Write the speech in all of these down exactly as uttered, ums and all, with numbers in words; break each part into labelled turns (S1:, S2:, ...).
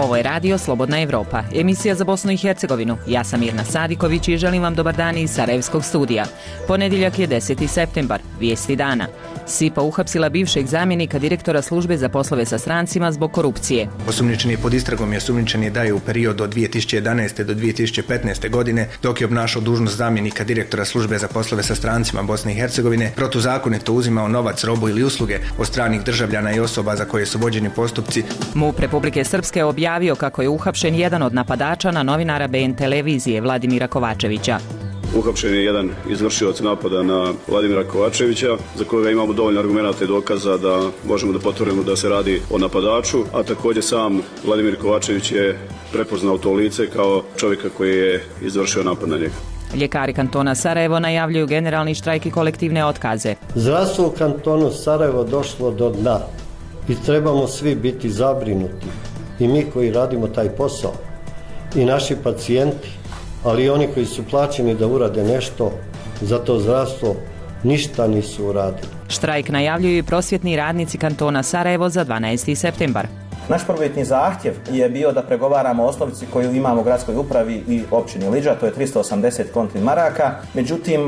S1: Ovo je radio Slobodna Evropa, emisija za Bosnu i Hercegovinu. Ja sam Mirna Sadiković i želim vam dobar dan iz Sarajevskog studija. Ponedjeljak je deseti septembar, vijesti dana. S I P A uhapsila bivšeg zamjenika direktora službe za poslove sa strancima zbog korupcije.
S2: Osumnjičeni pod istragom je osumnjičeni da je u periodu od dvije tisuće jedanaeste do dvije tisuće petnaeste. godine, dok je obnašao dužnost zamjenika direktora službe za poslove sa strancima Bosne i Hercegovine, protuzakonito uzimao novac, robu ili usluge od stranih državljana i osoba za koje su vođeni postupci.
S1: MUP Republike Srpske objavio kako je uhapšen jedan od napadača na novinara B N televizije Vladimira Kovačevića.
S3: Uhapšen je jedan izvršilac napada na Vladimira Kovačevića, za kojega imamo dovoljno argumenata i dokaza da možemo da potvrdimo da se radi o napadaču, a također sam Vladimir Kovačević je prepoznao to lice kao čovjeka koji je izvršio napad na njega.
S1: Ljekari kantona Sarajevo najavljuju generalni štrajk i kolektivne otkaze.
S4: Zdravstvo u kantonu Sarajevo došlo do dna i trebamo svi biti zabrinuti. I mi koji radimo taj posao, i naši pacijenti, ali i oni koji su plaćeni da urade nešto za to zdravstvo, ništa nisu uradili.
S1: Štrajk najavljuju i prosvjetni radnici kantona Sarajevo za dvanaesti septembar.
S5: Naš prvobitni zahtjev je bio da pregovaramo o osnovici koju imamo u gradskoj upravi i općini Lidža, to je tristo osamdeset konti maraka. Međutim,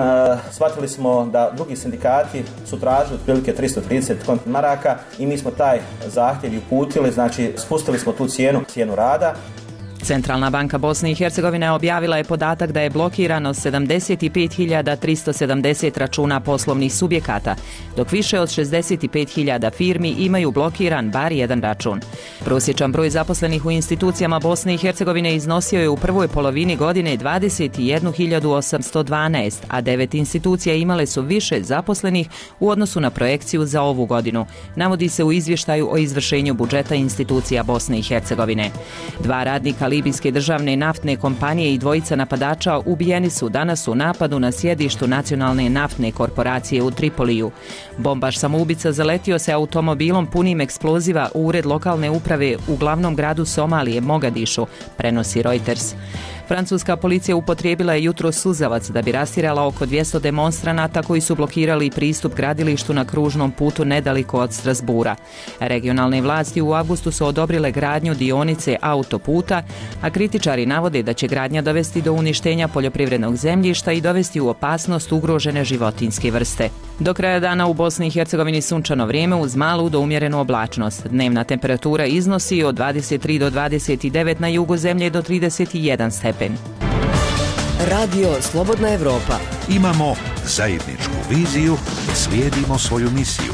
S5: shvatili smo da drugi sindikati su tražili otprilike tristo trideset konti maraka i mi smo taj zahtjev i uputili, znači spustili smo tu cijenu, cijenu rada.
S1: Centralna banka Bosne i Hercegovine objavila je podatak da je blokirano sedamdeset pet hiljada tristo sedamdeset računa poslovnih subjekata, dok više od šezdeset pet hiljada firmi imaju blokiran bar jedan račun. Prosječan broj zaposlenih u institucijama Bosne i Hercegovine iznosio je u prvoj polovini godine dvadeset jednu hiljadu osamsto dvanaest, a devet institucija imale su više zaposlenih u odnosu na projekciju za ovu godinu, navodi se u izvještaju o izvršenju budžeta institucija Bosne i Hercegovine. Dva radnika libijske državne naftne kompanije i dvojica napadača ubijeni su danas u napadu na sjedištu nacionalne naftne korporacije u Tripoliju. Bombaš samoubica zaletio se automobilom punim eksploziva u ured lokalne uprave u glavnom gradu Somalije, Mogadišu, prenosi Reuters. Francuska policija upotrijebila je jutro suzavac da bi rastirala oko dvjesto demonstranata koji su blokirali pristup gradilištu na kružnom putu nedaleko od Strasbura. Regionalne vlasti u avgustu su odobrile gradnju dionice autoputa, a kritičari navode da će gradnja dovesti do uništenja poljoprivrednog zemljišta i dovesti u opasnost ugrožene životinjske vrste. Do kraja dana u Bosni i Hercegovini sunčano vrijeme uz malu do umjerenu oblačnost. Dnevna temperatura iznosi od dvadeset tri do dvadeset devet, na jugu zemlje do trideset jedan stepen.
S6: Radio Slobodna Evropa.
S7: Imamo zajedničku viziju, slijedimo svoju misiju.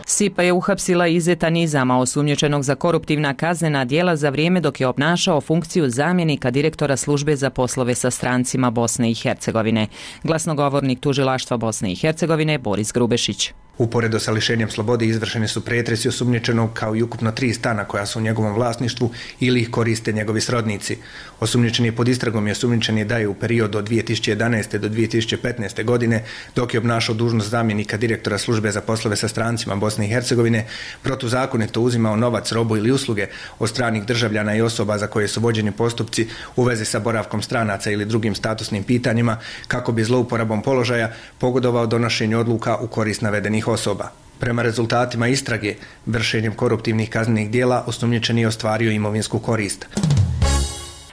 S1: S I P A je uhapsila Izeta Nizama, osumnjičenog za koruptivna kaznena djela za vrijeme dok je obnašao funkciju zamjenika direktora službe za poslove sa strancima Bosne i Hercegovine. Glasnogovornik tužilaštva Bosne i Hercegovine Boris Grubešić.
S2: Uporedo sa lišenjem slobode izvršeni su pretresi osumnjičenog kao i ukupno tri stana koja su u njegovom vlasništvu ili ih koriste njegovi srodnici. Osumnjičeni je pod istragom i osumnjičeni da je u periodu od dvije tisuće jedanaeste. do dvije tisuće petnaeste. godine, dok je obnašao dužnost zamjenika direktora službe za poslove sa strancima Bosne i Hercegovine, protuzakonito uzimao novac, robu ili usluge od stranih državljana i osoba za koje su vođeni postupci u vezi sa boravkom stranaca ili drugim statusnim pitanjima, kako bi zlouporabom položaja pogodovao donošenju odluka u korist navedenih osoba. Prema rezultatima istrage, vršenjem koruptivnih kaznenih djela osumnjičeni je ostvario imovinsku korist.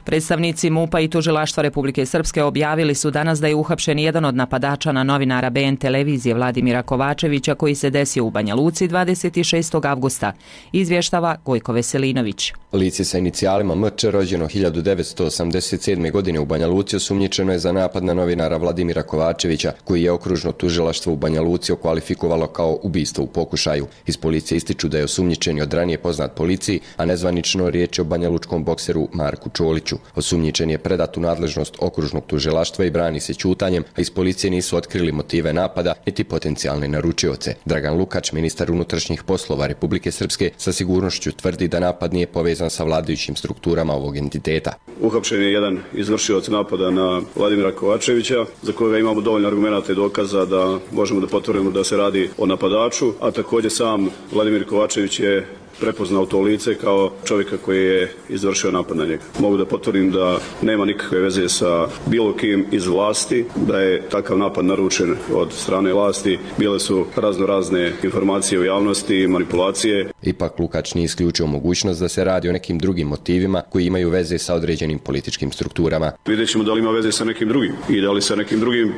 S1: Predstavnici MUP-a i tužilaštva Republike Srpske objavili su danas da je uhapšen jedan od napadača na novinara B N televizije Vladimira Kovačevića koji se desio u Banja Luci dvadeset šestog avgusta, izvještava Gojko Veselinović.
S8: Lice sa inicijalima M Č, rođeno hiljadu devetsto osamdeset sedme. godine u Banja Luci, osumnjičeno je za napad na novinara Vladimira Kovačevića, koji je okružno tužilaštvo u Banja Luci okvalifikovalo kao ubistvo u pokušaju. Iz policije ističu da je osumnjičeni od ranije poznat policiji, a nezvanično riječ je o banjalučkom bokseru Marku Čoliću. Osumnjičen je predat u nadležnost okružnog tužilaštva i brani se ćutanjem, a iz policije nisu otkrili motive napada niti potencijalne naručioce. Dragan Lukač, ministar unutrašnjih poslova Republike Srpske, sa sigurnošću tvrdi da napad nije povezan sa vladajućim strukturama ovog entiteta.
S3: Uhapšen je jedan izvršilac napada na Vladimira Kovačevića, za kojega imamo dovoljno argumenata i dokaza da možemo da potvrdimo da se radi o napadaču, a također sam Vladimir Kovačević je prepoznao to lice kao čovjeka koji je izvršio napad na njega. Mogu da potvrdim da nema nikakve veze sa bilo kim iz vlasti, da je takav napad naručen od strane vlasti. Bile su razno razne informacije u javnosti i manipulacije.
S8: Ipak Lukač nije isključio mogućnost da se radi o nekim drugim motivima koji imaju veze sa određenim političkim strukturama.
S3: Vidjet ćemo da li ima veze sa nekim drugim i da li sa nekim drugim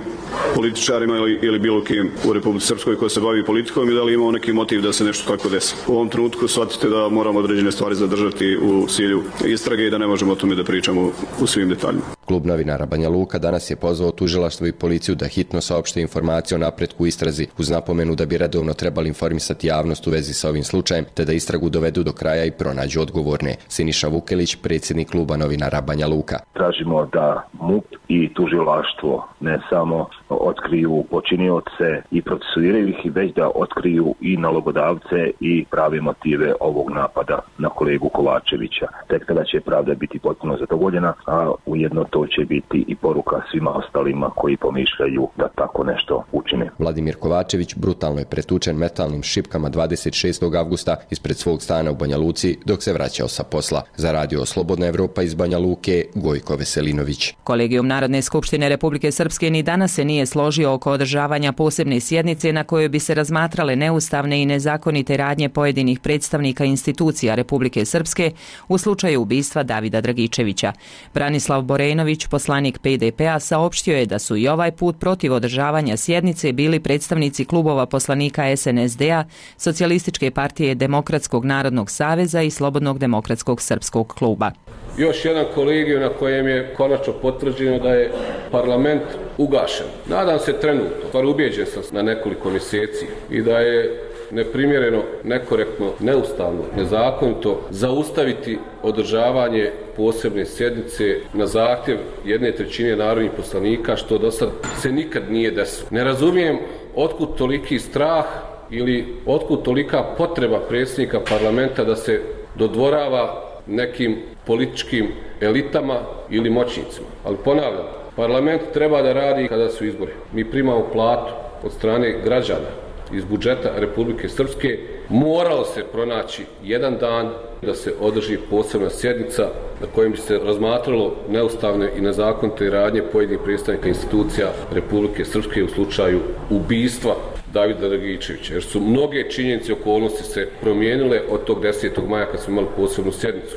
S3: političarima ili, ili bilo kim u Republici Srpskoj koji se bavi politikom i da li imao neki motiv da se nešto tako desi. U ovom trenutku shvatite da moramo određene stvari zadržati u cilju istrage i da ne možemo o tome da pričamo u svim detaljima.
S8: Klub novinara Banja Luka danas je pozvao tužilaštvo i policiju da hitno saopšte informacije o napretku istrazi uz napomenu da bi redovno trebali informisati javnost u vezi sa ovim slučajem te da istragu dovedu do kraja i pronađu odgovorne. Siniša Vukelić, predsjednik kluba novinara Banja Luka.
S9: Tražimo da M U P i tužilaštvo ne samo otkriju počinioce i procesuiraju ih, već da otkriju i nalogodavce i prave motive ovog napada na kolegu Kovačevića. Tek tada će pravda biti potpuno zadovoljena, a ujedno to će biti i poruka svima ostalima koji pomišljaju da tako nešto učine.
S8: Vladimir Kovačević brutalno je pretučen metalnim šipkama dvadeset šestog avgusta ispred svog stana u Banja Luci dok se vraćao sa posla. Za radio Slobodna Evropa iz Banja Luke, Gojko Veselinović.
S1: Kolegijum Narodne skupštine Republike Srpske ni danas se nije složio oko održavanja posebne sjednice na kojoj bi se razmatrale neustavne i nezakonite radnje pojedinih predstavnika institucija Republike Srpske u slučaju ubistva Davida Dragičevića. Branislav Borejnović, poslanik P D P-a, saopštio je da su i ovaj put protiv održavanja sjednice bili predstavnici klubova poslanika S N S D-a, Socijalističke partije Demokratskog narodnog saveza i Slobodnog demokratskog srpskog kluba.
S10: Još jedan kolegij na kojem je konačno potvrđeno da je parlament ugašen. Nadam se trenutno, stvar ubijeđen sam na nekoliko mjeseci i da je neprimjereno, nekorektno, neustavno, nezakonito zaustaviti održavanje posebne sjednice na zahtjev jedne trećine narodnih poslanika, što do sad se nikad nije desilo. Ne razumijem otkud toliki strah ili otkud tolika potreba predsjednika parlamenta da se dodvorava nekim političkim elitama ili moćnicima. Ali ponavljam, parlament treba da radi kada su izbori. Mi primamo platu od strane građana iz budžeta Republike Srpske. Moralo se pronaći jedan dan da se održi posebna sjednica na kojem bi se razmatralo neustavne i nezakonite radnje pojedinih predstavnika institucija Republike Srpske u slučaju ubistva Davida Dragičevića, jer su mnoge činjenice i okolnosti se promijenile od tog desetog maja kad smo imali posebnu sjednicu.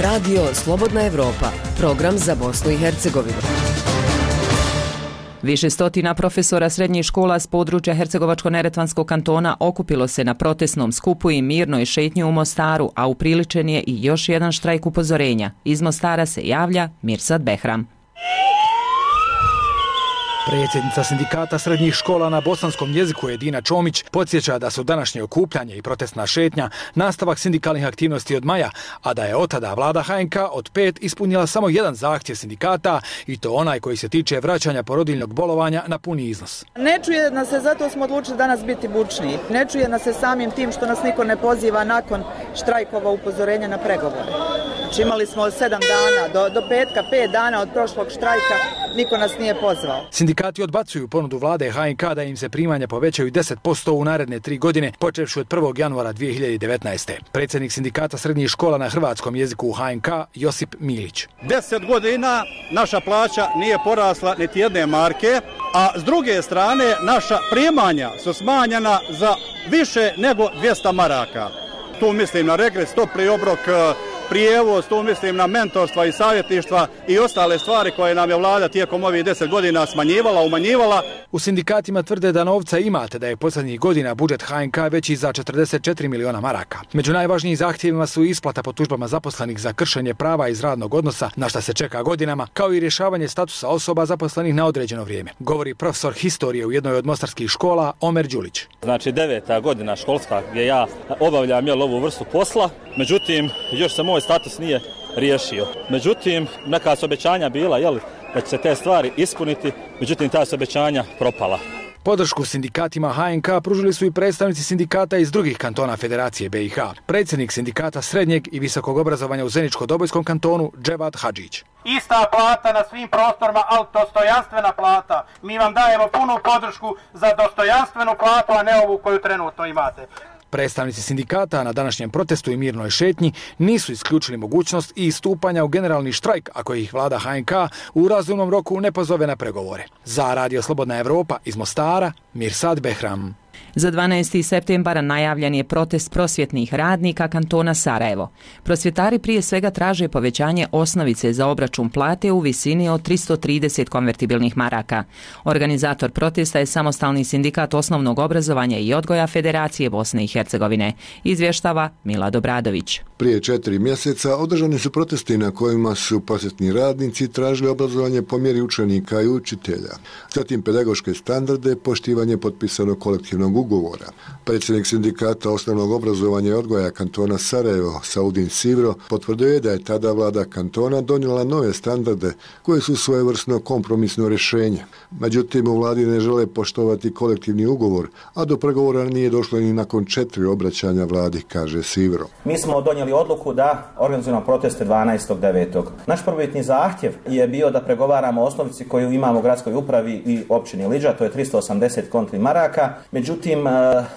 S6: Radio Slobodna Evropa, program za Bosnu i Hercegovinu.
S1: Više stotina profesora srednjih škola s područja Hercegovačko-neretvanskog kantona okupilo se na protestnom skupu i mirnoj šetnji u Mostaru, a upriličen je i još jedan štrajk upozorenja. Iz Mostara se javlja Mirsad Behram.
S11: Predsjednica sindikata srednjih škola na bosanskom jeziku Edina Čomić podsjeća da su današnje okupljanje i protestna šetnja nastavak sindikalnih aktivnosti od maja, a da je od tada vlada H N K od pet ispunila samo jedan zahtjev sindikata i to onaj koji se tiče vraćanja porodiljnog bolovanja na puni iznos.
S12: Ne čuje nas se, zato smo odlučili danas biti bučniji. Ne čuje nas se samim tim što nas niko ne poziva nakon štrajkova upozorenja na pregovore. Znači imali smo sedam dana, do, do petka, pet dana od prošlog štrajka, niko nas nije pozvao.
S11: Sindikati odbacuju ponudu vlade H N K da im se primanja povećaju deset posto u naredne tri godine, počevši od prvog januara dvije hiljade devetnaeste. Predsjednik sindikata srednjih škola na hrvatskom jeziku u H N K, Josip Milić.
S13: Deset godina naša plaća nije porasla niti jedne marke, a s druge strane naša primanja su smanjena za više nego dvjesto maraka. Tu mislim na regres, topli obrok, prijevoz, tu mislim na mentorstva i savjetništva i ostale stvari koje nam je vlada tijekom ovih deset godina smanjivala, umanjivala.
S11: U sindikatima tvrde da novca imate, da je posljednjih godina budžet H N K veći za četrdeset četiri miliona maraka. Među najvažnijim zahtjevima su isplata po tužbama zaposlenih za kršenje prava iz radnog odnosa, na šta se čeka godinama, kao i rješavanje statusa osoba zaposlenih na određeno vrijeme. Govori profesor historije u jednoj od mostarskih škola Omer Đulić.
S14: Znači deveta godina školska gdje ja obavljam jel, ovu vrstu posla, međutim još se moj status nije riješio. Međutim, neka su obećanja bila jel, da će se te stvari ispuniti, međutim ta su obećanja propala.
S11: Podršku sindikatima H N K pružili su i predstavnici sindikata iz drugih kantona Federacije B i H. Predsjednik sindikata srednjeg i visokog obrazovanja u Zeničko-Dobojskom kantonu Dževad Hadžić.
S15: Ista plata na svim prostorima, ali dostojanstvena plata. Mi vam dajemo punu podršku za dostojanstvenu platu, a ne ovu koju trenutno imate.
S11: Predstavnici sindikata na današnjem protestu i mirnoj šetnji nisu isključili mogućnost i istupanja u generalni štrajk ako ih vlada H N K u razumnom roku ne pozove na pregovore. Za Radio Slobodna Evropa iz Mostara, Mirsad Behram.
S1: Za dvanaesti septembara najavljen je protest prosvjetnih radnika kantona Sarajevo. Prosvjetari prije svega traže povećanje osnovice za obračun plate u visini od tristo trideset konvertibilnih maraka. Organizator protesta je Samostalni sindikat osnovnog obrazovanja i odgoja Federacije Bosne i Hercegovine, izvještava Milad Obradović.
S16: Prije četiri mjeseca održani su protesti na kojima su prosvjetni radnici tražili obrazovanje po mjeri učenika i učitelja, zatim pedagoške standarde, poštivanje potpisanog kolektivnog ugovora. Predsjednik sindikata osnovnog obrazovanja i odgoja kantona Sarajevo, Saudin Sivro, potvrdio je da je tada vlada kantona donijela nove standarde koje su svojevrsno kompromisno rješenje. Međutim, u vladi ne žele poštovati kolektivni ugovor, a do pregovora nije došlo ni nakon četiri obraćanja vladi, kaže Sivro.
S5: Mi smo donijeli odluku da organizujemo proteste dvanaestog devetog Naš prvobitni zahtjev je bio da pregovaramo o osnovici koju imamo u gradskoj upravi i općini Lidža, to je tristo osamdeset konti maraka. Međutim,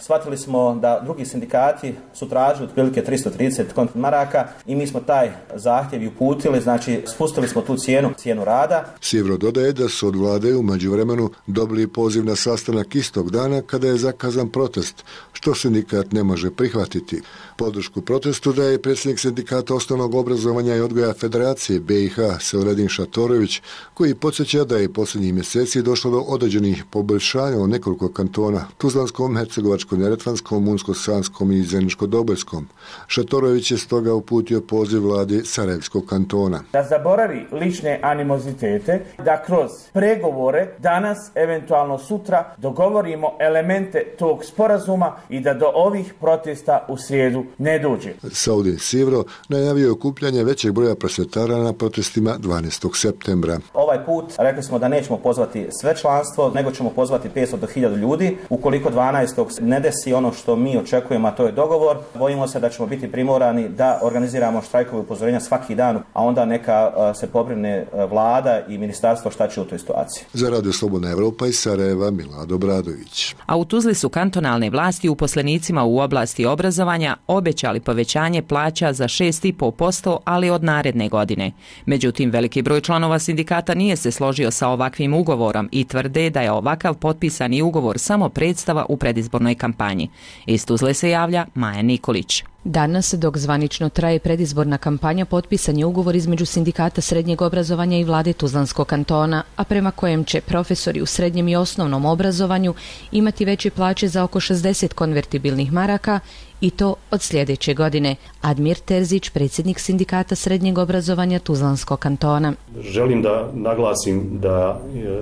S5: shvatili smo da drugi sindikati su tražili otprilike tristo trideset konti maraka i mi smo taj zahtjev i uputili, znači spustili smo tu cijenu, cijenu rada.
S16: Sivro dodaje da su od vlade u međuvremenu dobili poziv na sastanak istog dana kada je zakazan protest, što sindikat ne može prihvatiti. Podršku protestu daje predsjednik sindikata osnovnog obrazovanja i odgoja Federacije B i H Selvedin Šatorović, koji podsjeća da je posljednjih mjeseci došlo do određenih poboljšanja u nekoliko kantona, Tuzlanskom, Hercegovačko-neretvanskom, Unsko-sanskom i Zeničko-dobojskom. Šatorović je stoga uputio poziv vladi Sarajevskog kantona.
S17: Da zaboravi lične animozitete, da kroz pregovore danas, eventualno sutra, dogovorimo elemente tog sporazuma i da do ovih protesta u srijedu ne dođe.
S16: Saudin Sivro najavio okupljanje većeg broja prosvjetara na protestima dvanaestog septembra.
S5: Ovaj put rekli smo da nećemo pozvati sve članstvo, nego ćemo pozvati petsto do hiljadu ljudi. Ukoliko dvanaestog ne desi ono što mi očekujemo, a to je dogovor, bojimo se da ćemo biti primorani da organiziramo štrajkove upozorenja svaki dan, a onda neka se pobrine vlada i ministarstvo šta će u toj situaciji.
S16: Za Radio Slobodna Evropa iz Sarajeva, Milad Obradović.
S1: A u Tuzli su kantonalne vlasti uposlenicima u oblasti obrazovanja obećali povećanje plaća za šest zarez pet posto, ali od naredne godine. Međutim, veliki broj članova sindikata nije se složio sa ovakvim ugovorom i tvrde da je ovakav potpisani ugovor samo predstava u predizbornoj kampanji. Iz Tuzle se javlja Maja Nikolić.
S18: Danas, dok zvanično traje predizborna kampanja, potpisan je ugovor između sindikata srednjeg obrazovanja i vlade Tuzlanskog kantona, a prema kojem će profesori u srednjem i osnovnom obrazovanju imati veće plaće za oko šezdeset konvertibilnih maraka i to od sljedeće godine. Admir Terzić, predsjednik sindikata srednjeg obrazovanja Tuzlanskog kantona.
S19: Želim da naglasim da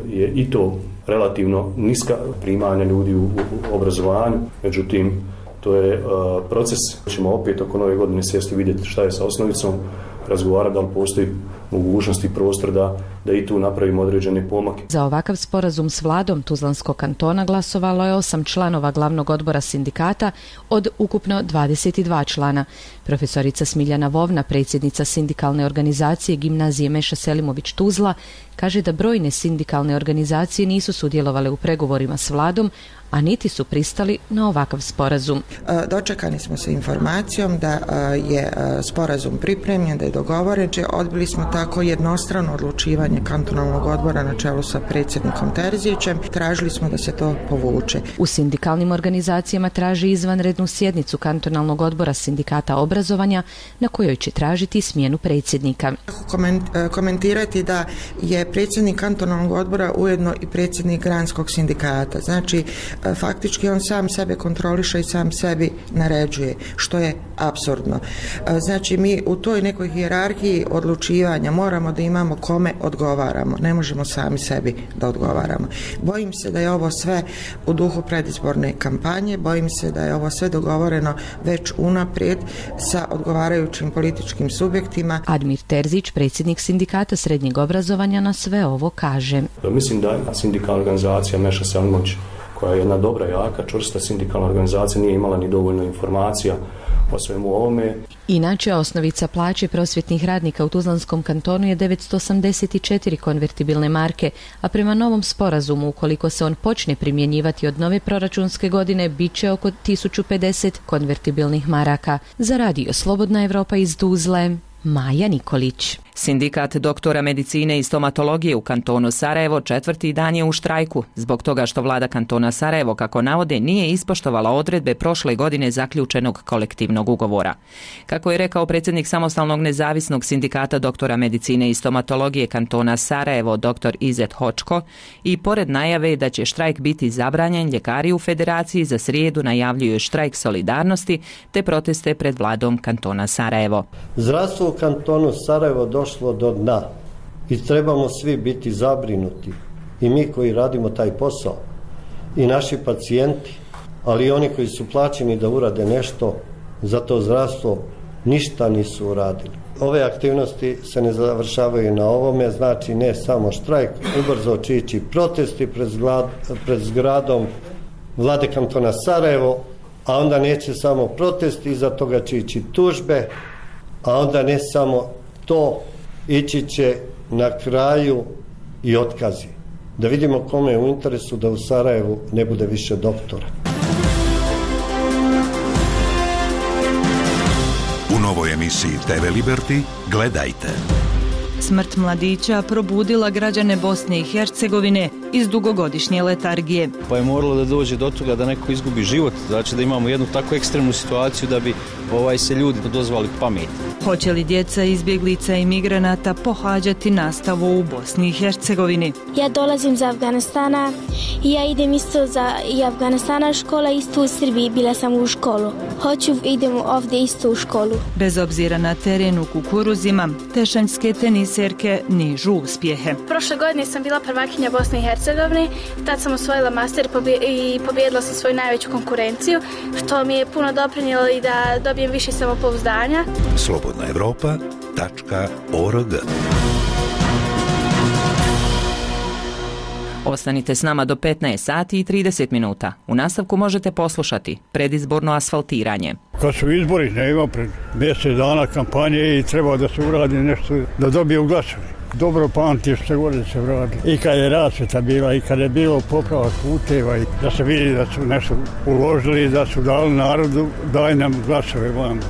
S19: je i to relativno niska primanja ljudi u obrazovanju, međutim, to je uh, proces. Ćemo opet oko nove godine sjesti vidjeti šta je sa osnovicom, razgovarati da li postoji mogućnost i prostor da, da i tu napravimo određene pomake.
S18: Za ovakav sporazum s vladom Tuzlanskog kantona glasovalo je osam članova glavnog odbora sindikata od ukupno dvadeset dva člana. Profesorica Smiljana Vovna, predsjednica sindikalne organizacije Gimnazije Meša Selimović Tuzla, kaže da brojne sindikalne organizacije nisu sudjelovale u pregovorima s vladom, a niti su pristali na ovakav sporazum.
S20: Dočekani smo sa informacijom da je sporazum pripremljen, da je dogovoren, odbili smo tako jednostrano odlučivanje kantonalnog odbora na čelu sa predsjednikom Terzićem. Tražili smo da se to povuče.
S18: U sindikalnim organizacijama traži izvanrednu sjednicu kantonalnog odbora sindikata obrazovanja na kojoj će tražiti smjenu predsjednika.
S20: Komentirati da je predsjednik kantonalnog odbora ujedno i predsjednik granskog sindikata. Znači, faktički on sam sebe kontroliše i sam sebi naređuje, što je apsurdno. Znači, mi u toj nekoj hijerarhiji odlučivanja moramo da imamo kome odgovaramo. Ne možemo sami sebi da odgovaramo. Bojim se da je ovo sve u duhu predizborne kampanje, bojim se da je ovo sve dogovoreno već unaprijed sa odgovarajućim političkim subjektima.
S18: Admir Terzić, predsjednik sindikata srednjeg obrazovanja, na sve ovo kaže.
S19: Mislim da sindikalna organizacija Meša Selimović, koja je jedna dobra, jaka, čvrsta sindikalna organizacija, nije imala ni dovoljno informacija o svemu ovome.
S18: Inače, osnovica plaće prosvjetnih radnika u Tuzlanskom kantonu je devetsto osamdeset četiri konvertibilne marke, a prema novom sporazumu, ukoliko se on počne primjenjivati od nove proračunske godine, bit će oko tisuću pedeset konvertibilnih maraka. Za radio Slobodna Evropa iz Tuzle, Maja Nikolić.
S1: Sindikat doktora medicine i stomatologije u kantonu Sarajevo četvrti dan je u štrajku, zbog toga što vlada kantona Sarajevo, kako navode, nije ispoštovala odredbe prošle godine zaključenog kolektivnog ugovora. Kako je rekao predsjednik samostalnog nezavisnog sindikata doktora medicine i stomatologije kantona Sarajevo, dr Izet Hočko, i pored najave da će štrajk biti zabranjen, ljekari u federaciji za srijedu najavljuju štrajk solidarnosti te proteste pred vladom kantona Sarajevo.
S4: Zdravstvo u kantonu Sarajevo došlo do dna i trebamo svi biti zabrinuti, i mi koji radimo taj posao i naši pacijenti, ali i oni koji su plaćeni da urade nešto za to zdravstvo, ništa nisu uradili. Ove aktivnosti se ne završavaju na ovome, znači ne samo štrajk, ubrzo će ići protesti pred, zgrad, pred zgradom vlade kantona Sarajevo, a onda neće samo protesti, iza toga će ići tužbe, a onda ne samo to, ići će na kraju i otkazi. Da vidimo kome je u interesu da u Sarajevu ne bude više doktora.
S7: U novoj emisiji te ve Liberty gledajte.
S21: Smrt mladića probudila građane Bosne i Hercegovine iz dugogodišnje letargije.
S22: Pa je moralo da dođe do toga da neko izgubi život, znači da imamo jednu tako ekstremnu situaciju da bi ovaj se ljudi dozvali pamet.
S21: Hoće li djeca izbjeglica i migranata pohađati nastavu u Bosni i Hercegovini?
S23: Ja dolazim iz Afganistana i ja idem isto za i Afganistana škola, isto u Srbiji, bila sam u školu. Hoću idem ovdje isto u školu.
S21: Bez obzira na teren u kukuruzima, tešanjske teniserke nižu uspjehe.
S24: Prošle godine sam bila prvakinja Bosne i Hercegovine, tad sam osvojila master i pobijedila sam svoju najveću konkurenciju, što mi je puno doprinijelo i da dobijem više samopouzdanja.
S7: slobodna evropa tačka org.
S1: Ostanite s nama do petnaest sati i trideset minuta. U nastavku možete poslušati predizborno asfaltiranje.
S25: Kad su izbori, ne ima pred mjesec dana kampanje i treba da se uradi nešto, da dobije u glasove. Dobro pamtim što gore se vradi. I kad je rasvjeta bila, i kad je bilo popravak puteva, i da se vidi da su nešto uložili, da su dali narodu, daj nam glasove vam.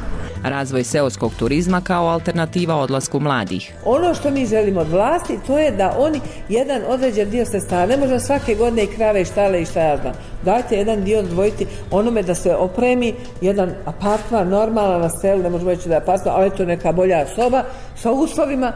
S1: Razvoj seoskog turizma kao alternativa odlasku mladih.
S26: Ono što mi želimo od vlasti, to je da oni jedan određen dio sredstava, ne možda svake godine i krave i štale i šta ja znam, dajte jedan dio odvojiti onome da se opremi jedan apartman normalan na selu, ne možemo reći da je apartman, ali to neka bolja soba sa uslovima.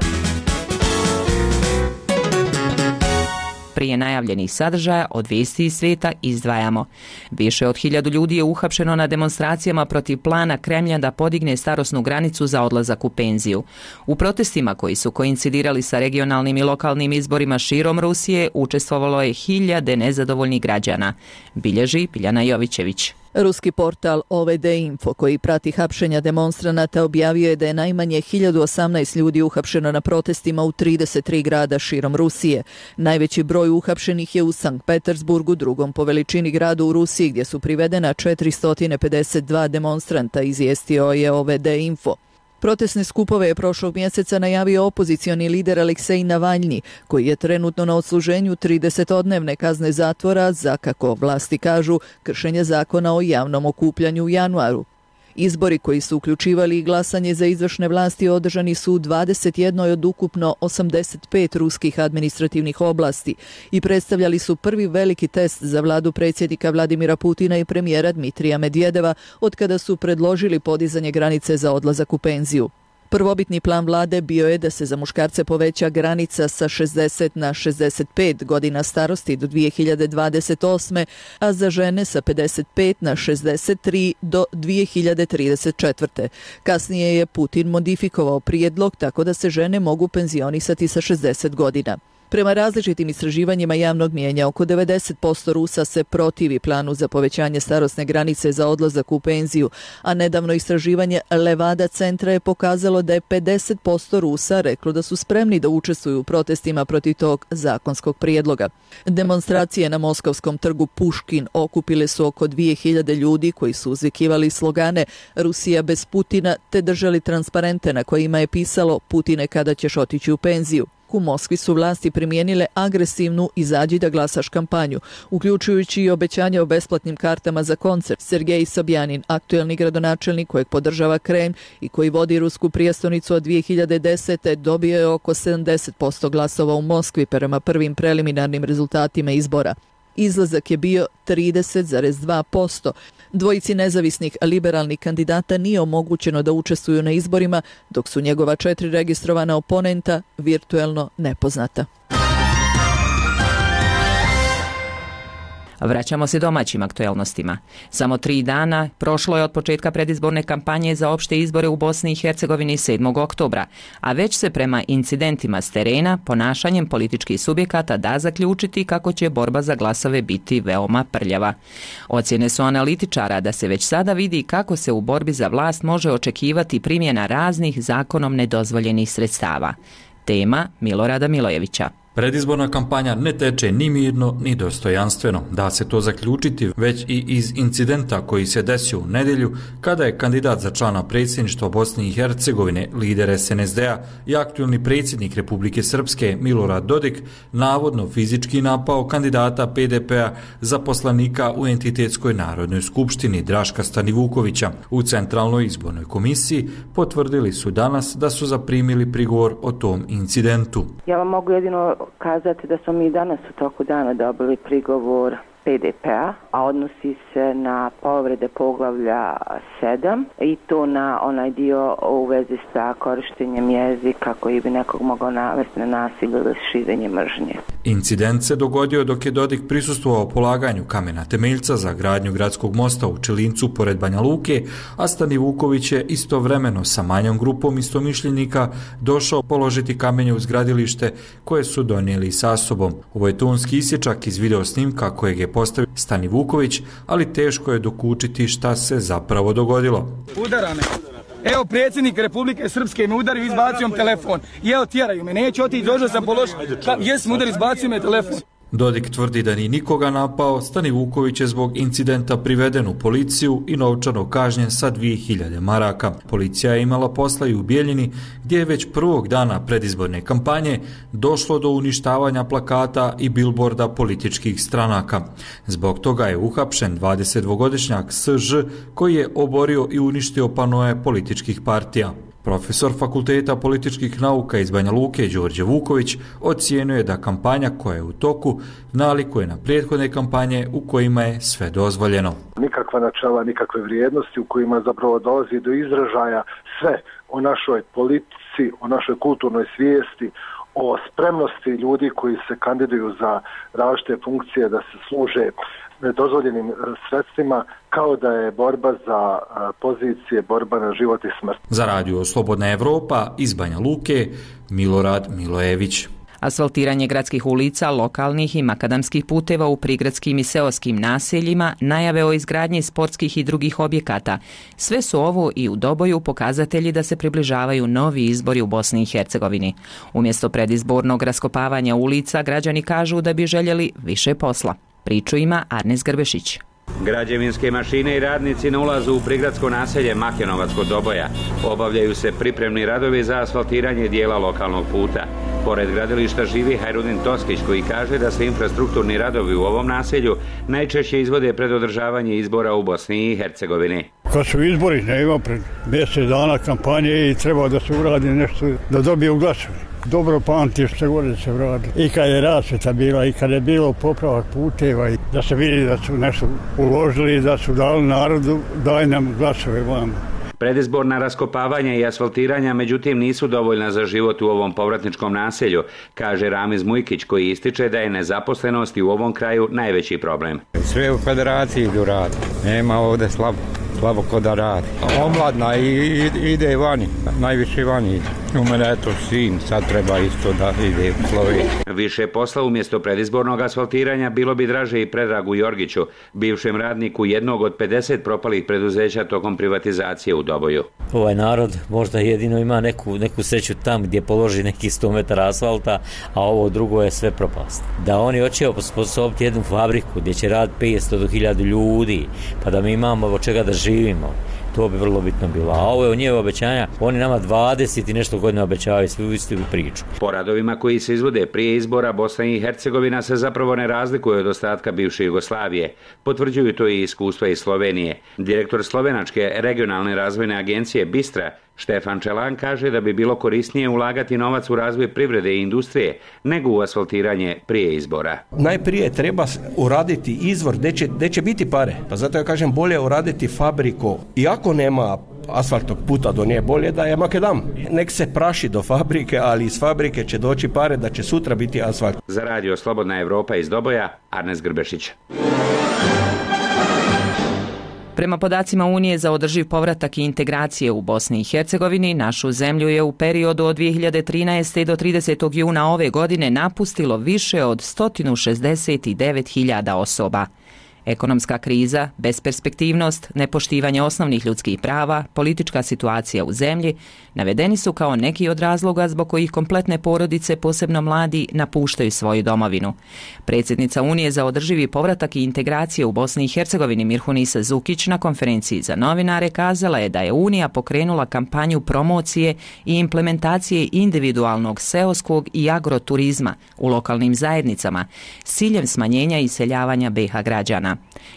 S1: Prije najavljenih sadržaja od vijesti iz svijeta izdvajamo. Više od hiljadu ljudi je uhapšeno na demonstracijama protiv plana Kremlja da podigne starosnu granicu za odlazak u penziju. U protestima koji su koincidirali sa regionalnim i lokalnim izborima širom Rusije učestvovalo je hiljade nezadovoljnih građana. Bilježi Biljana Jovićević.
S27: Ruski portal O V D Info, koji prati hapšenja demonstranata, objavio je da je najmanje hiljadu osamnaest ljudi uhapšeno na protestima u trideset tri grada širom Rusije. Najveći broj uhapšenih je u Sankt Petersburgu, drugom po veličini gradu u Rusiji, gdje su privedena četiristo pedeset dva demonstranta, izvijestio je O V D Info. Protestne skupove je prošlog mjeseca najavio opozicioni lider Aleksej Navalnji, koji je trenutno na odsluženju tridesetodnevne kazne zatvora za, kako vlasti kažu, kršenje zakona o javnom okupljanju u januaru. Izbori koji su uključivali i glasanje za izvršne vlasti održani su u dvadeset jednoj od ukupno osamdeset pet ruskih administrativnih oblasti i predstavljali su prvi veliki test za vladu predsjednika Vladimira Putina i premijera Dmitrija Medvedeva od kada su predložili podizanje granice za odlazak u penziju. Prvobitni plan vlade bio je da se za muškarce poveća granica sa šezdeset na šezdeset pet godina starosti do dvije hiljade dvadeset osme, a za žene sa pedeset pet na šezdeset tri do dvije hiljade trideset četvrte. Kasnije je Putin modifikovao prijedlog tako da se žene mogu penzionisati sa šezdeset godina. Prema različitim istraživanjima javnog mijenja, oko devedeset posto Rusa se protivi planu za povećanje starosne granice za odlazak u penziju, a nedavno istraživanje Levada centra je pokazalo da je pedeset posto Rusa reklo da su spremni da učestvuju u protestima protiv tog zakonskog prijedloga. Demonstracije na moskovskom trgu Puškin okupile su oko dvije hiljade ljudi koji su uzvikivali slogane Rusija bez Putina te držali transparente na kojima je pisalo Putine kada ćeš otići u penziju. U Moskvi su vlasti primijenile agresivnu izađi da glasaš kampanju, uključujući i obećanje o besplatnim kartama za koncert. Sergej Sobjanin, aktuelni gradonačelnik kojeg podržava Kremlj i koji vodi rusku prijestolnicu od dvije hiljade desete. dobio je oko sedamdeset posto glasova u Moskvi prema prvim preliminarnim rezultatima izbora. Izlazak je bio trideset zarez dva posto. Dvojici nezavisnih liberalnih kandidata nije omogućeno da učestvuju na izborima, dok su njegova četiri registrovana oponenta virtuelno nepoznata.
S1: Vraćamo se domaćim aktuelnostima. Samo tri dana prošlo je od početka predizborne kampanje za opšte izbore u Bosni i Hercegovini sedmog oktobra, a već se prema incidentima s terena, ponašanjem političkih subjekata da zaključiti kako će borba za glasove biti veoma prljava. Ocjene su analitičara da se već sada vidi kako se u borbi za vlast može očekivati primjena raznih zakonom nedozvoljenih sredstava. Tema Milorada Milojevića.
S2: Predizborna kampanja ne teče ni mirno, ni dostojanstveno. Da se to zaključiti već i iz incidenta koji se desio u nedjelju kada je kandidat za člana predsjedništva Bosne i Hercegovine, lider es en es de a i aktualni predsjednik Republike Srpske Milorad Dodik navodno fizički napao kandidata pe de pe-a za poslanika u entitetskoj narodnoj skupštini Draška Stanivukovića. U Centralnoj izbornoj komisiji potvrdili su danas da su zaprimili prigovor o tom incidentu.
S3: Ja vam mogu jedino kazati da smo mi danas u toku dana dobili prigovor pe de pe-a, a odnosi se na povrede poglavlja sedam i to na onaj dio u vezi sa korištenjem jezika koji bi nekog mogao navesti na nasilje ili širenje mržnje.
S2: Incident se dogodio dok je Dodik prisustvovao polaganju kamena temeljca za gradnju gradskog mosta u Čelincu pored Banja Luke, a Stanivuković je istovremeno sa manjom grupom istomišljenika došao položiti kamenje uz gradilište koje su donijeli sa sobom. Ovo je tonski isječak iz video snimka kojeg je postavio Stanivuković, ali teško je dokučiti šta se zapravo dogodilo.
S6: Udara me. Evo predsjednik Republike Srpske me udario, izbacio mi telefon. I evo tjeraju me, neću otići, došao sam položiti. Jesam udar, izbacio me telefon.
S2: Dodik tvrdi da ni nikoga napao, Stanivuković je zbog incidenta priveden u policiju i novčano kažnjen sa dvije hiljade maraka. Policija je imala posla i u Bijeljini, gdje je već prvog dana predizborne kampanje došlo do uništavanja plakata i bilborda političkih stranaka. Zbog toga je uhapšen dvadesetdvogodišnjak es že koji je oborio i uništio panoje političkih partija. Profesor Fakulteta političkih nauka iz Banja Luke, Đorđe Vuković, ocijenio je da kampanja koja je u toku nalikuje na prethodne kampanje u kojima je sve dozvoljeno.
S8: Nikakva načela, nikakve vrijednosti u kojima zapravo dolazi do izražaja sve o našoj politici, o našoj kulturnoj svijesti, o spremnosti ljudi koji se kandiduju za različite funkcije da se služe nedozvoljenim sredstvima, kao da je borba za pozicije, borba na život i smrt.
S2: Za radio Slobodna Evropa iz Banja Luke, Milorad Milojević.
S1: Asfaltiranje gradskih ulica, lokalnih i makadamskih puteva u prigradskim i seoskim naseljima, najave o izgradnji sportskih i drugih objekata. Sve su ovo i u Doboju pokazatelji da se približavaju novi izbori u Bosni i Hercegovini. Umjesto predizbornog raskopavanja ulica, građani kažu da bi željeli više posla. Priču ima Arnes Grbešić.
S9: Građevinske mašine i radnici na ulazu u prigradsko naselje Makenovac kod Doboja. Obavljaju se pripremni radovi za asfaltiranje dijela lokalnog puta. Pored gradilišta živi Hajrudin Toskić koji kaže da se infrastrukturni radovi u ovom naselju najčešće izvode pred održavanje izbora u Bosni i Hercegovini.
S25: Kad su izbori, ne ima pred mjesec dana kampanje i treba da se uradi nešto da dobiju glasove. Dobro pamti što gore se vratili. I kad je rasvjeta bila, i kad je bilo popravak puteva, i da se vidi da su nešto uložili, da su dali narodu, daj nam glasove vam.
S9: Predizborna raskopavanja i asfaltiranja međutim nisu dovoljna za život u ovom povratničkom naselju, kaže Ramiz Mujkić koji ističe da je nezaposlenost u ovom kraju najveći problem.
S10: Sve u federaciji idu radi, nema ovdje slabo, slabo ko da radi. Omladna i, i, ide vani, najviše vani ide. U mene je to sin, sad treba isto da ide u Sloveniju.
S9: Više posla umjesto predizbornog asfaltiranja bilo bi draže i Predragu Jorgiću, bivšem radniku jednog od pedeset propalih preduzeća tokom privatizacije u Doboju.
S5: Ovaj narod možda jedino ima neku, neku sreću tam gdje položi neki sto metara asfalta, a ovo drugo je sve propast. Da oni hoće osposobiti jednu fabriku gdje će raditi petsto do hiljadu ljudi, pa da mi imamo od čega da živimo. To bi vrlo bitno bilo. A ovo je u njeve obećanja, oni nama dvadeset i nešto godina obećavaju svu istu priču.
S9: Po radovima koji se izvode prije izbora, Bosna i Hercegovina se zapravo ne razlikuje od ostatka bivše Jugoslavije. Potvrđuju to i iskustva iz Slovenije. Direktor Slovenačke regionalne razvojne agencije Bistra, Štefan Čelan, kaže da bi bilo korisnije ulagati novac u razvoj privrede i industrije nego u asfaltiranje prije izbora.
S11: Najprije treba uraditi izvor gdje će, gdje će biti pare. Pa zato ja kažem bolje uraditi fabriku. Iako nema asfaltnog puta do nje, bolje da je makadam. Nek se praši do fabrike, ali iz fabrike će doći pare da će sutra biti asfalt.
S9: Za radio Slobodna Evropa iz Doboja, Arnes Grbešić.
S1: Prema podacima Unije za održiv povratak i integracije u Bosni i Hercegovini, našu zemlju je u periodu od dvije hiljade trinaeste. do tridesetog juna ove godine napustilo više od sto šezdeset devet hiljada osoba. Ekonomska kriza, besperspektivnost, nepoštivanje osnovnih ljudskih prava, politička situacija u zemlji navedeni su kao neki od razloga zbog kojih kompletne porodice, posebno mladi, napuštaju svoju domovinu. Predsjednica Unije za održivi povratak i integracije u Bosni i Hercegovini Mirhunisa Zukić na konferenciji za novinare kazala je da je Unija pokrenula kampanju promocije i implementacije individualnog seoskog i agroturizma u lokalnim zajednicama s ciljem smanjenja iseljavanja be ha građana.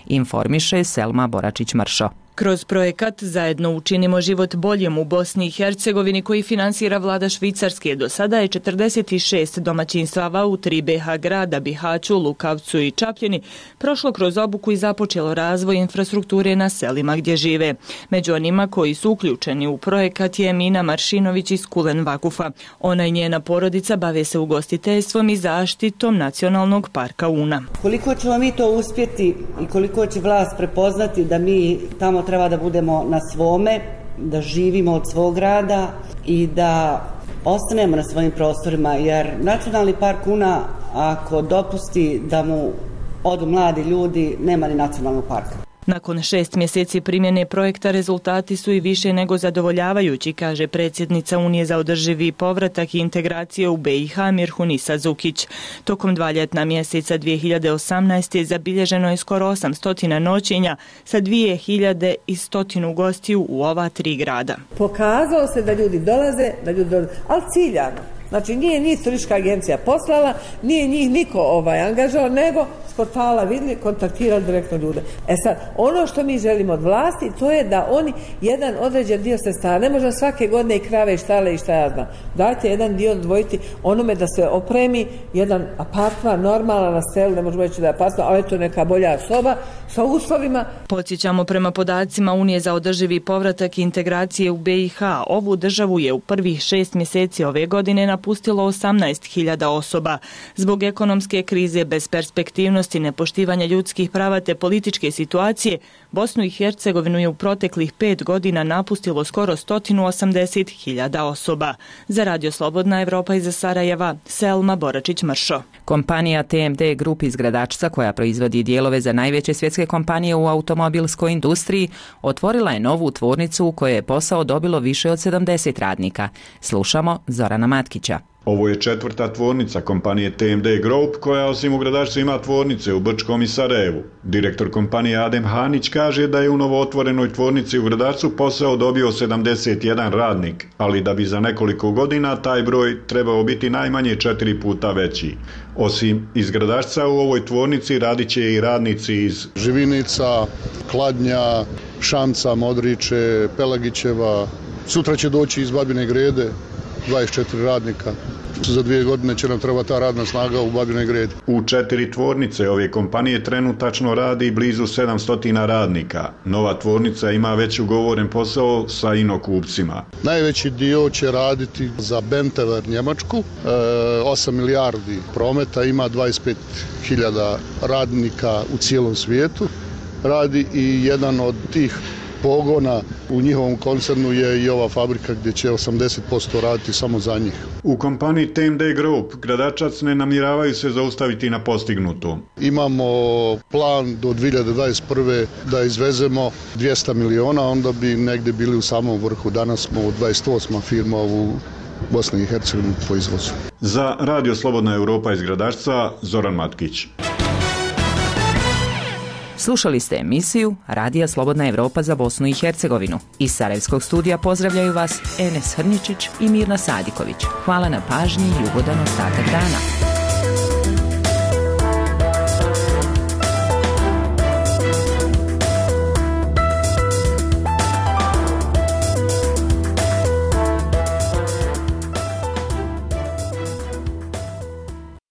S1: Informiše Selma Boračić-Mršo.
S21: Kroz projekat Zajedno učinimo život boljim u Bosni i Hercegovini koji finansira vlada Švicarske, do sada je četrdeset šest domaćinstava u tri be ha grada, Bihaću, Lukavcu i Čapljini prošlo kroz obuku i započelo razvoj infrastrukture na selima gdje žive. Među onima koji su uključeni u projekat je Mina Maršinović iz Kulen Vakufa. Ona i njena porodica bave se ugostiteljstvom i zaštitom nacionalnog parka Una.
S12: Koliko ćemo mi to uspjeti i koliko će vlast prepoznati da mi tamo treba da budemo na svome, da živimo od svog rada i da ostanemo na svojim prostorima, jer nacionalni park Una, ako dopusti da mu odu mladi ljudi, nema ni nacionalnog parka.
S21: Nakon šest mjeseci primjene projekta rezultati su i više nego zadovoljavajući, kaže predsjednica Unije za održivi povratak i integraciju u be i ha Mirhunisa Zukić. Tokom dva ljetna mjeseca dvije hiljade osamnaeste. zabilježeno je skoro osamsto noćenja sa dvije hiljade sto gostiju u ova tri grada.
S26: Pokazalo se da ljudi dolaze, da ljudi dolaze, ali ciljano. Znači nije njih turistička agencija poslala, nije njih niko ovaj angažao, nego s portala vidjeli, kontaktirali direktno ljude. E sad, ono što mi želimo od vlasti, to je da oni jedan određen dio sredstava, ne možemo svake godine i krave i štale i šta ja znam, dajte jedan dio odvojiti onome da se opremi jedan apartman normalan na selu, ne možemo reći da je apartman, ali to neka bolja soba sa uslovima.
S21: Podsjećamo, prema podacima Unije za održivi povratak i integracije u be i ha, ovu državu je u prvih šest mjeseci ove godine napustilo osamnaest hiljada osoba. Zbog ekonomske krize, besperspektivnosti, nepoštivanja ljudskih prava te političke situacije, Bosnu i Hercegovinu je u proteklih pet godina napustilo skoro sto osamdeset hiljada osoba. Za Radio Slobodna Evropa iz Sarajeva, Selma Boračić-Mršo.
S1: Kompanija te em de Group iz Gradačca, koja proizvodi dijelove za najveće svjetske kompanije u automobilskoj industriji, otvorila je novu tvornicu u kojoj je posao dobilo više od sedamdeset radnika. Slušamo Zorana Matkića.
S13: Ovo je četvrta tvornica kompanije te em de Group, koja osim u Gradačcu ima tvornice u Brčkom i Sarajevu. Direktor kompanije Adem Hanić kaže da je u novootvorenoj tvornici u Gradačcu posao dobio sedamdeset jedan radnik, ali da bi za nekoliko godina taj broj trebao biti najmanje četiri puta veći. Osim iz Gradačca, u ovoj tvornici radit će i radnici iz
S14: Živinica, Kladnja, Šamca, Modriče, Pelagićeva. Sutra će doći iz Babine Grede dvadeset četiri radnika. Za dvije godine će nam treba ta radna snaga u Babinoj Gredi.
S13: U četiri tvornice ove kompanije trenutačno radi blizu sedamsto radnika. Nova tvornica ima već ugovoren posao sa inokupcima.
S14: Najveći dio će raditi za Benteler Njemačku, osam milijardi prometa, ima dvadeset pet hiljada radnika u cijelom svijetu. Radi i jedan od tih pogona u njihovom koncernu je i ova fabrika gdje će osamdeset posto raditi samo za njih.
S13: U kompaniji T M D Group Gradačac ne namjeravaju se zaustaviti na postignuto.
S14: Imamo plan do dvije hiljade dvadeset prve da izvezemo dvjesto miliona, onda bi negdje bili u samom vrhu. Danas smo dvadeset osma firma u Bosni i Hercegovini po izvozu.
S13: Za Radio Slobodna Europa iz Gradačca, Zoran Matkić.
S1: Slušali ste emisiju Radija Slobodna Europa za Bosnu i Hercegovinu. Iz Sarajevskog studija pozdravljaju vas Enes Hrničić i Mirna Sadiković. Hvala na pažnji i ugodan ostatak dana.